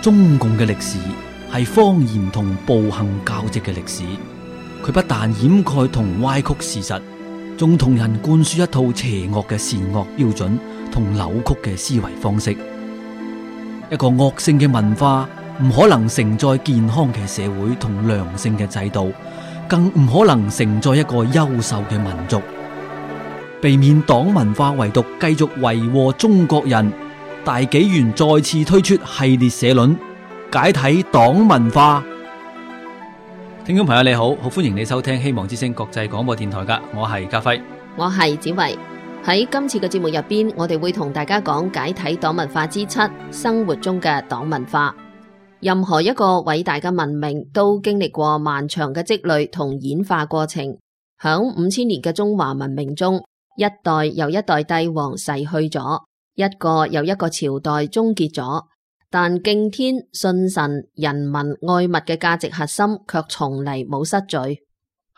中共嘅歷史係謊言同暴行交織嘅歷史，佢不但掩蓋同歪曲事實，仲同人灌輸一套邪惡嘅善惡標準同扭曲嘅思維方式。一個惡性嘅文化唔可能承載健康嘅社會同良性嘅制度，更唔可能承載一個優秀嘅民族。避免黨文化遺毒繼續為禍中國人，大紀元再次推出系列社論，解體黨文化。聽眾朋友你好，好歡迎你收聽希望之聲國際廣播電台噶，我係家輝，我係子維。喺今次嘅節目入邊，我哋會同大家講解體黨文化之7，生活中嘅黨文化。任何一個偉大嘅文明都經歷過漫長嘅積累同演化過程。響5000年嘅中華文明中，一代又一代帝王逝去咗，一個又一個朝代終結咗，但敬天、信神、人民、愛物嘅價值核心卻從嚟冇失序。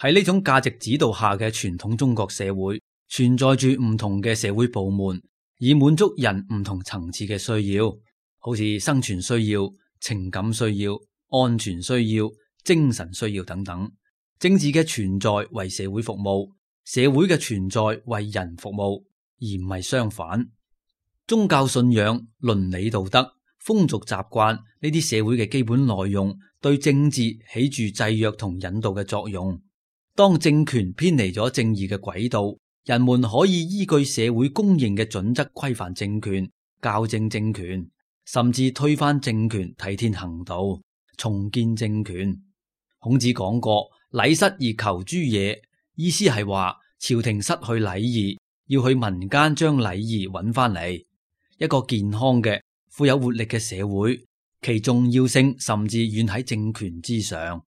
喺呢種價值指導下嘅傳統中國社會，存在住唔同嘅社會部門，以滿足人唔同層次嘅需要，好似生存需要、情感需要、安全需要、精神需要等等。政治嘅存在為社會服務，社會嘅存在為人服務，而唔係相反。宗教信仰、倫理道德、風俗習慣呢啲社會嘅基本內容，對政治起住制約同引導嘅作用。當政權偏離咗正義嘅軌道，人們可以依據社會公認嘅準則規範政權、校正政權，甚至推翻政權，替天行道，重建政權。孔子講過，禮失而求諸野，意思係話朝廷失去禮儀，要去民間將禮儀揾翻嚟。一個健康嘅、富有活力嘅社會，其重要性甚至遠喺政權之上。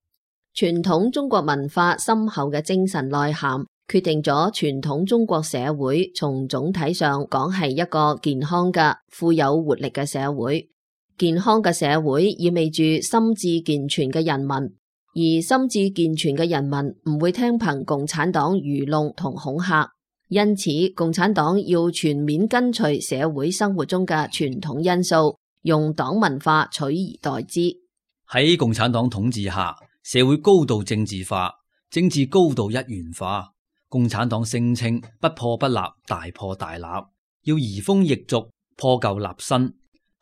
傳統中國文化深厚嘅精神內涵，決定咗傳統中國社會從總體上講係一個健康嘅、富有活力嘅社會。健康嘅社會意味住心智健全嘅人民，而心智健全嘅人民唔會聽憑共產黨愚弄同恐嚇，因此共產黨要全面跟隨社會生活中嘅傳統因素，用黨文化取而代之。喺共產黨統治下，社會高度政治化，政治高度一元化。共產黨聲稱不破不立，大破大立，要移風易俗，破舊立新。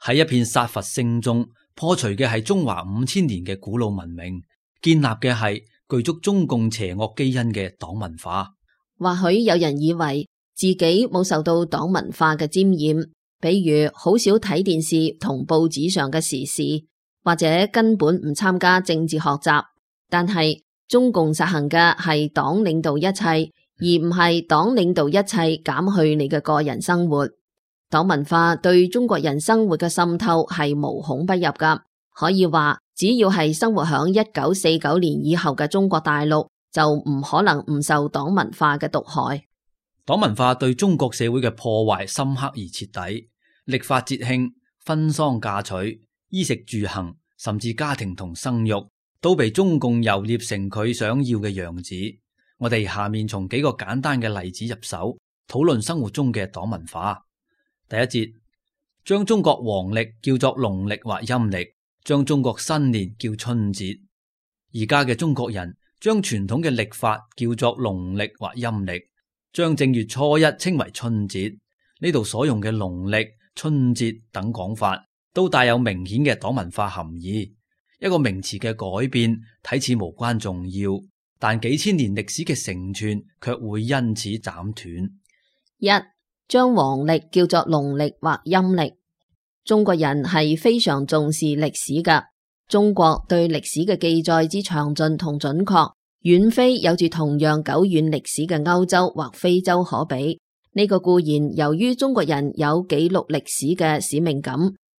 喺一片殺伐聲中，破除嘅係中華5000年嘅古老文明，建立嘅係具足中共邪惡基因嘅黨文化。或許有人以為自己冇受到黨文化嘅沾染，比如好少睇電視同報紙上嘅時事，或者根本唔參加政治學習。但係中共實行嘅係黨領導一切，而唔係黨領導一切減去你嘅個人生活。黨文化對中國人生活嘅滲透係無孔不入噶，可以話只要係生活響1949年以後嘅中國大陸，就唔可能唔受黨文化嘅毒害。黨文化對中國社會嘅破壞深刻而徹底，曆法節慶、婚喪嫁娶、衣食住行，甚至家庭同生育，都被中共揉捏成佢想要嘅樣子。我哋下面從幾個簡單嘅例子入手，討論生活中嘅黨文化。第一節，將中國黃曆叫做農曆或陰曆，將中國新年叫春節。而家嘅中國人將傳統嘅曆法叫做農曆或陰曆，將正月初一稱為春節。呢度所用嘅農曆、春節等講法，都帶有明顯嘅黨文化含義。一個名詞嘅改變睇似無關重要，但幾千年歷史嘅承傳卻會因此斬斷。一、將黃曆叫做農曆或陰曆。中國人係非常重視歷史㗎。中國對歷史嘅記載之詳盡同準確，遠非有住同樣久遠歷史嘅歐洲或非洲可比。呢個固然由於中國人有記錄歷史嘅使命感，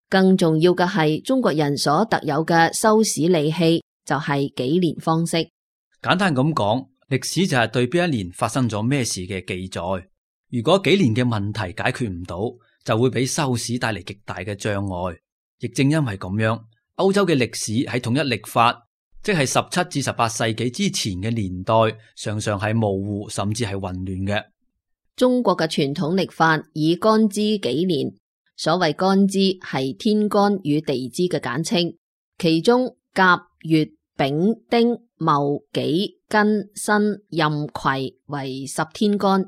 更重要嘅係中國人所特有嘅修史利器，就係紀年方式。簡單咁講，歷史就係對邊一年發生咗咩事嘅記載。如果幾年嘅問題解決唔到，就會俾修史帶嚟極大嘅障礙。亦正因為咁樣，歐洲嘅歷史喺統一曆法，即係17至18世紀之前嘅年代，常常係模糊甚至係混亂嘅。中國嘅傳統曆法以干支紀年，所謂干支係天干與地支嘅簡稱，其中甲、乙、丙、丁、戊、己、庚、辛、壬、癸為10天干，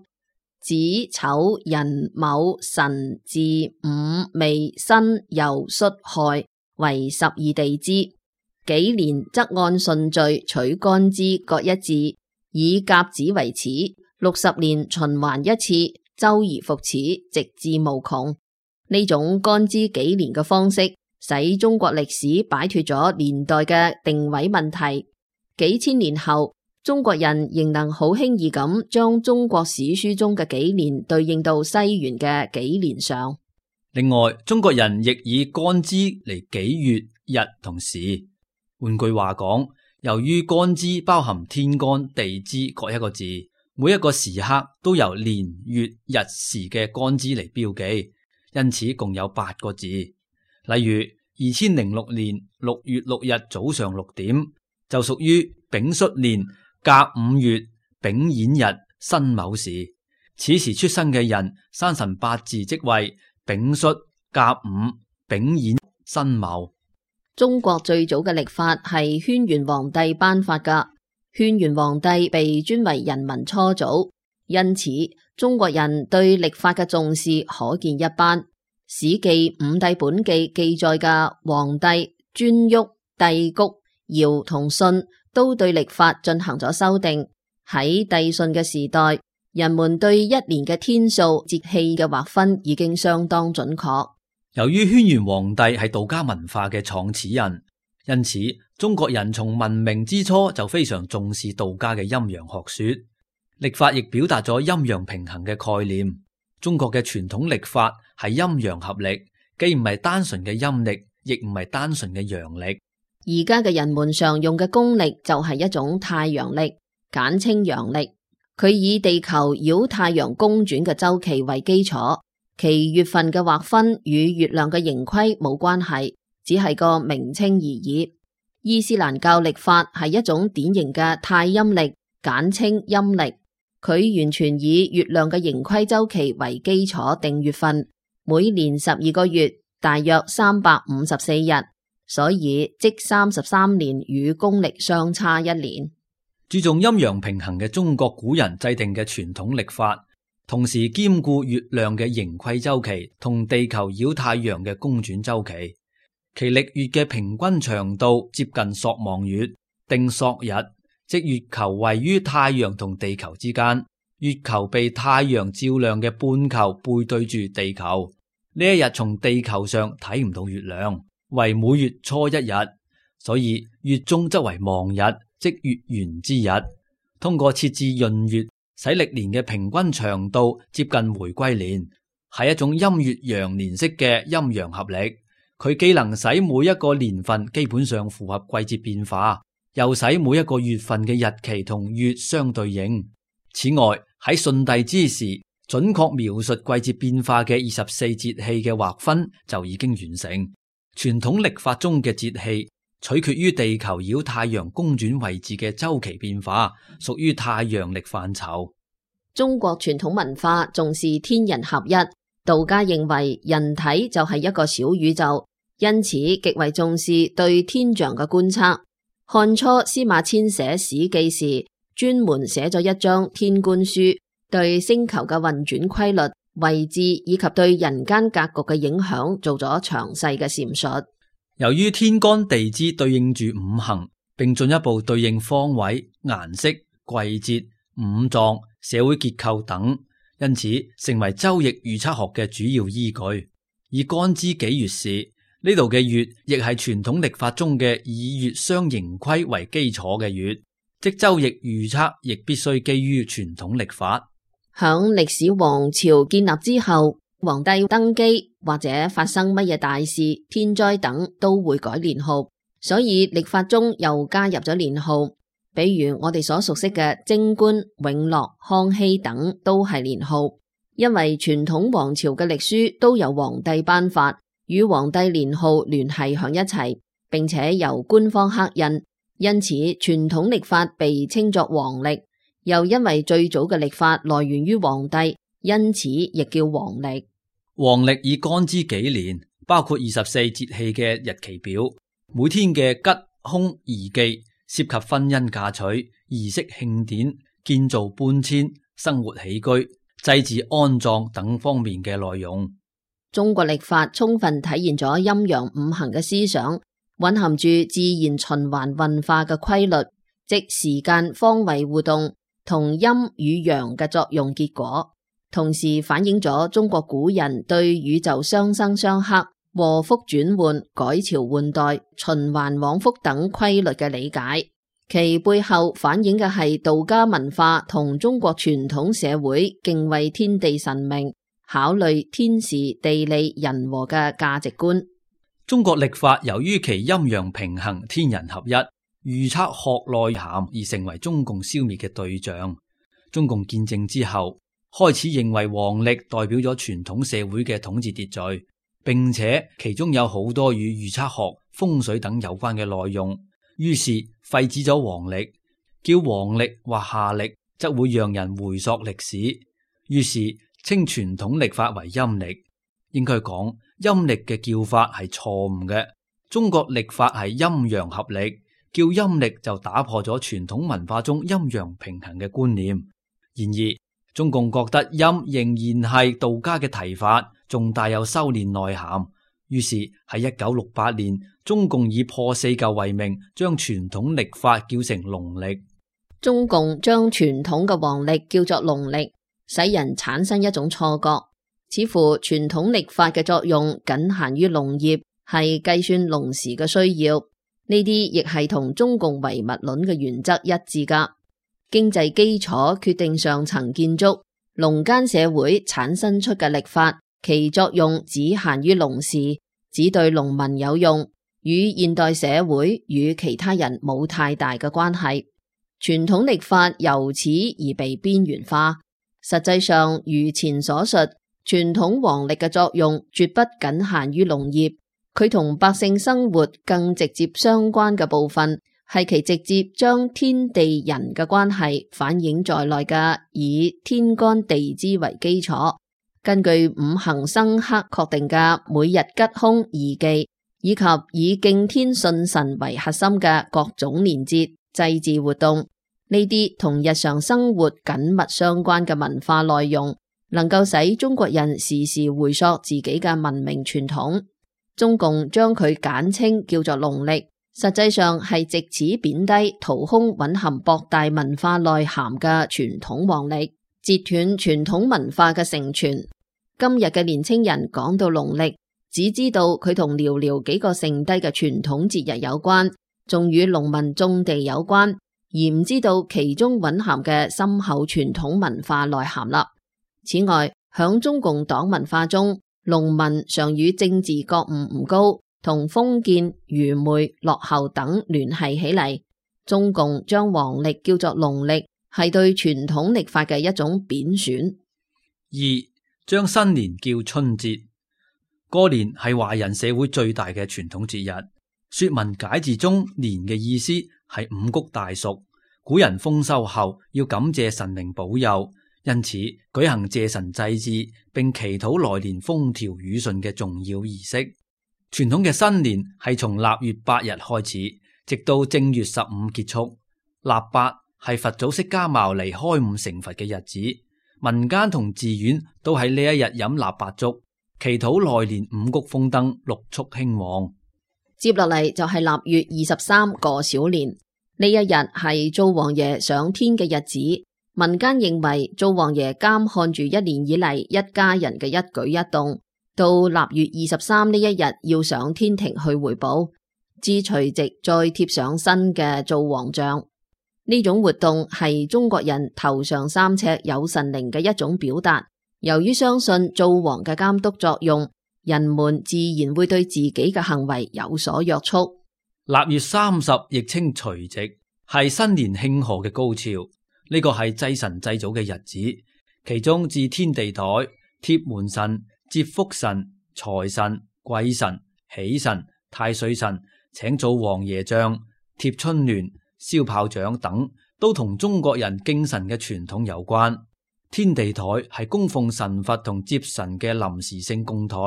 子、丑、寅、卯、辰、巳、午、未、申、酉、戌、亥為12地支。紀年則按順序取干支各一字，以甲子為始，60年循環一次，周而復始，直至無窮。呢種干支紀年嘅方式，使中國歷史擺脫咗年代嘅定位問題。幾千年後，中國人仍能好輕易咁將中國史書中嘅紀年對應到西元嘅紀年上。另外，中國人亦以干支嚟紀月、日同時。換句話講，由於干支包含天干地支各一個字，每一個時刻都由年月日時嘅干支嚟標記，因此共有8個字。例如2006年6月6日早上6點就屬於丙戌年甲午月丙寅日辛卯時，此時出生嘅人生辰八字即為丙戌、甲午、丙寅、辛卯。中國最早嘅曆法係軒轅皇帝頒發噶，軒轅皇帝被尊為人民初祖，因此中國人對曆法嘅重視可見一斑。史記《五帝本紀》記載嘅黃帝、顓頊、帝嚳、堯同舜都對曆法進行咗修訂。喺帝舜嘅時代，人們對一年嘅天數、節氣嘅劃分已經相當準確。由於軒轅皇帝係道家文化嘅創始人，因此中國人從文明之初就非常重視道家嘅陰陽學說。曆法亦表達咗陰陽平衡嘅概念。中國嘅傳統曆法係陰陽合曆，既唔係單純嘅陰曆，亦唔係單純嘅陽曆。而家嘅人們常用嘅公曆就係一種太陽曆，簡稱陽曆。佢以地球繞太陽公轉嘅周期為基礎。其月份嘅劃分與月亮嘅盈虧冇關係，只係個名稱而已。伊斯蘭教曆法係一種典型嘅太陰曆，簡稱陰曆。佢完全以月亮嘅盈虧周期為基礎定月份，每年12個月，大約354日，所以即33年與公曆相差1年。注重陰陽平衡嘅中國古人制定嘅傳統曆法，同時兼顧月亮嘅盈虧周期同地球繞太陽嘅公轉周期，其曆月嘅平均長度接近朔望月，定朔日，即月球位於太陽同地球之間，月球被太陽照亮嘅半球背對住地球。呢一日從地球上睇唔到月亮，為每月初1日，所以月中則為望日，即月圓之日。通過設置閏月，使歷年嘅平均長度接近回歸年，係一種陰月陽年式嘅陰陽合曆。佢既能使每一個年份基本上符合季節變化，又使每一個月份嘅日期同月相對應。此外，喺舜帝之時，準確描述季節變化嘅24節氣嘅劃分就已經完成。傳統曆法中嘅節氣取決於地球繞太陽公轉位置嘅周期變化，屬於太陽曆範疇。中國傳統文化重視天人合一，道家認為人體就係一個小宇宙，因此極為重視對天象嘅觀測。漢初司馬遷寫《史記》時，專門寫咗一章《天觀書》，對星球嘅運轉規律、位置以及對人間格局嘅影響做咗詳細嘅闡述。由於天干地支對應住五行，並進一步對應方位、顏色、季節、五臟、社會結構等，因此成為周易預測學嘅主要依據。以干支紀月時，呢度嘅月亦係傳統曆法中嘅以月相盈虧為基礎嘅月，即周易預測亦必須基於傳統曆法。響歷史王朝建立之後，皇帝登基或者發生乜嘢大事、天災等都會改年號，所以曆法中又加入咗年號。比如我哋所熟悉嘅貞觀、永樂、康熙等都係年號，因為傳統王朝嘅曆書都由皇帝頒發，與皇帝年號聯繫響一齊，並且由官方刻印，因此傳統曆法被稱作皇曆。又因為最早嘅曆法來源於皇帝，因此亦叫皇曆。黃曆以干支紀年，包括24節氣嘅日期表，每天嘅吉、凶、宜、忌，涉及婚姻嫁娶、儀式慶典、建造搬遷、生活起居、祭祀安葬等方面嘅內容。中國曆法充分體現咗陰陽五行嘅思想，蘊含住自然循環運化嘅規律，即時間方位互動同陰與陽嘅作用結果，同時反映咗中國古人對宇宙相生相克、禍福轉換、改朝換代、循環往復等規律嘅理解。其背後反映嘅係道家文化同中國傳統社會敬畏天地神明、考慮天時地利人和嘅價值觀。中國曆法由於其陰陽平衡、天人合一、預測學內涵而成為中共消滅嘅對象。中共建政之後，開始認為黃曆代表咗傳統社會嘅統治秩序，並且其中有好多與預測學、風水等有關嘅內容，於是廢止咗黃曆，叫黃曆或夏曆則會讓人回溯歷史，於是稱傳統曆法為陰曆。應該講陰曆嘅叫法係錯誤嘅，中國曆法係陰陽合曆，叫陰曆就打破咗傳統文化中陰陽平衡嘅觀念。然而中共覺得陰仍然係道家嘅提法，仲帶有修煉內涵，於是喺1968年，中共以破四舊為名，將傳統曆法叫成農曆。中共將傳統嘅黃曆叫作農曆，使人產生一種錯覺，似乎傳統曆法嘅作用僅限於農業，係計算農時嘅需要。呢啲亦係同中共唯物論嘅原則一致噶。經濟基礎決定上層建築，農耕社會產生出嘅曆法，其作用只限於農時，只對農民有用，與現代社會與其他人冇太大嘅關係。傳統曆法由此而被邊緣化。實際上，如前所述，傳統黃曆嘅作用絕不僅限於農業，佢同百姓生活更直接相關嘅部分，係其直接將天地人嘅關係反映在內嘅，以天干地支為基礎，根據五行生克確定嘅每日吉凶宜忌，以及以敬天信神為核心嘅各種年節、祭祀活動，呢啲同日常生活緊密相關嘅文化內容，能夠使中國人時時回溯自己嘅文明傳統。中共將佢簡稱叫做農曆，實際上係借此貶低掏空蘊含博大文化內涵嘅傳統黃曆，截斷傳統文化嘅承傳。今日嘅年輕人講到農曆，只知道佢同寥寥幾個剩低嘅傳統節日有關，仲與農民種地有關，而唔知道其中蘊含嘅深厚傳統文化內涵啦。此外，響中共黨文化中，農民常與政治覺悟唔高，同封建、愚昧、落後等聯繫起嚟。中共將黃曆叫做農曆，係對傳統曆法嘅一種貶損。二、將新年叫春節。過年係華人社會最大嘅傳統節日。說文解字中年嘅意思係五穀大熟，古人豐收後要感謝神明保佑，因此舉行謝神祭祀，並祈禱來年風調雨順嘅重要儀式。傳統嘅新年係從臘月8日開始，直到正月15結束。臘八係佛祖釋迦牟尼開悟成佛嘅日子，民間同寺院都喺呢一日飲臘八粥，祈禱來年五穀豐登、六畜興旺。接落嚟就係臘月23過小年，呢一日係灶王爺上天嘅日子。民間認為灶王爺監看住一年以嚟一家人嘅一舉一動，到臘月23呢一日要上天庭去回報，至除夕再貼上新嘅灶王像。呢種活動係中國人頭上3尺有神靈嘅一種表達。由於相信灶王嘅監督作用，人們自然會對自己嘅行為有所約束。臘月30亦稱除夕，係新年慶賀嘅高潮。呢個係祭神祭祖嘅日子，其中置天地台、貼門神、接福神、財神、貴神、喜神、太歲神、請灶王爺像、貼春聯、燒炮仗等，都同中國人敬神嘅傳統有關。天地台係供奉神佛同接神嘅臨時性供台。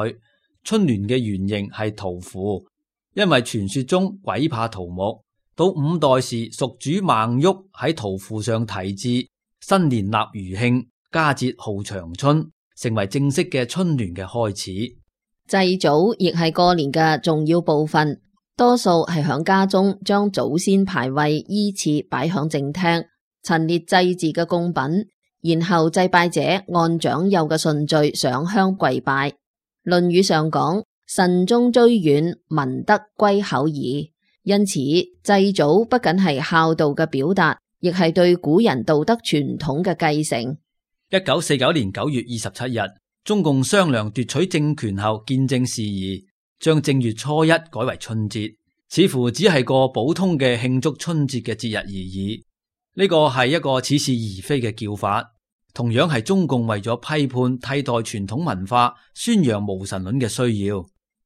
春聯嘅原型係桃符，因為傳說中鬼怕桃木。到五代時，蜀主孟昱喺桃符上題字新年納餘慶，佳節號長春，成為正式嘅春聯嘅開始。祭祖亦係過年嘅重要部分，多數係響家中將祖先牌位依次擺響正廳，陳列祭祀嘅供品，然後祭拜者按長幼嘅順序上香跪拜。論語上講：慎終追遠，民德歸厚矣。因此，祭祖不僅係孝道嘅表達，亦係對古人道德傳統嘅繼承。1949年9月27日，中共商量奪取政權後見證事宜，將正月初一改為春節，似乎只係個普通嘅慶祝春節嘅節日而已。呢個係一個似是而非嘅叫法，同樣係中共為咗批判替代傳統文化、宣揚無神論嘅需要。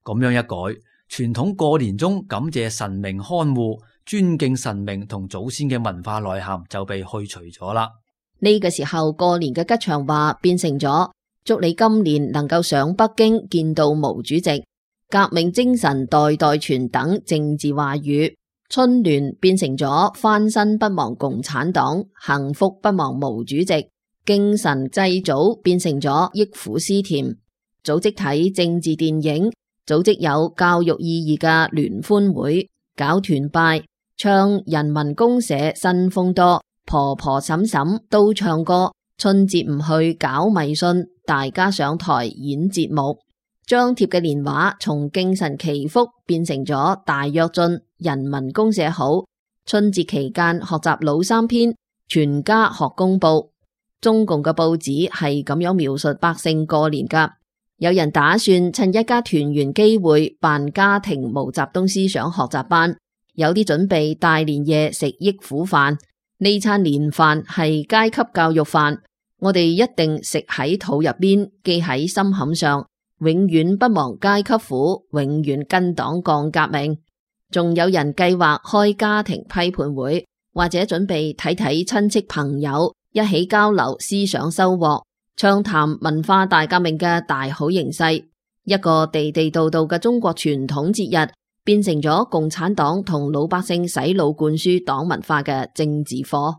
咁樣一改，傳統過年中感謝神明看護、尊敬神明同祖先嘅文化內涵就被去除咗啦。呢個時候過年嘅吉祥話變成咗祝你今年能夠上北京見到毛主席，革命精神代代傳等政治話語。春聯變成咗翻身不忘共產黨，幸福不忘毛主席。敬神祭祖變成咗憶苦思甜。組織睇政治電影，組織有教育意義嘅聯歡會，搞團拜，唱人民公社新風多，婆婆嬸嬸都唱歌。春節唔去搞迷信，大家上台演節目。張貼嘅年畫從敬神祈福變成咗大躍進，人民公社好。春節期間學習老三篇，全家學公報。中共嘅報紙係咁樣描述百姓過年噶。有人打算趁一家團圓機會辦家庭毛澤東思想學習班，有啲準備大年夜食憶苦飯。呢餐年飯係階級教育飯，我哋一定食喺肚入邊，記喺心坎上，永遠不忘階級苦，永遠跟黨幹革命。仲有人計劃開家庭批判會，或者準備睇睇親戚朋友，一起交流思想收穫，暢談文化大革命嘅大好形勢。一個地地道道嘅中國傳統節日，變成咗共產黨同老百姓洗腦灌輸黨文化嘅政治課。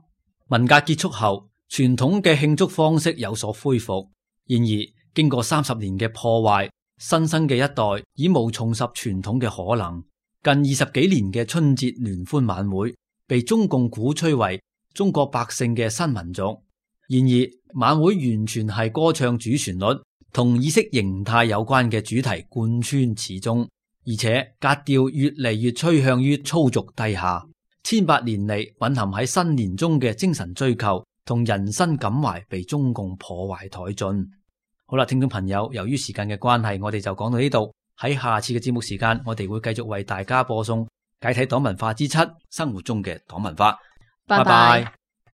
文革結束後，傳統嘅慶祝方式有所恢復，然而經過30年嘅破壞，新生嘅一代已無重拾傳統嘅可能。近20幾年嘅春節聯歡晚會被中共鼓吹為中國百姓嘅新民族，然而晚會完全係歌唱主旋律，同意識形態有關嘅主題貫穿始終，而且格調越嚟越趨向於粗俗低下。千百年嚟蘊含喺新年中嘅精神追求同人生感懷被中共破壞殆盡。好啦，聽眾朋友，由於時間嘅關係，我哋就講到呢度。喺下次嘅節目時間，我哋會繼續為大家播送解體黨文化之7，生活中嘅黨文化。拜拜。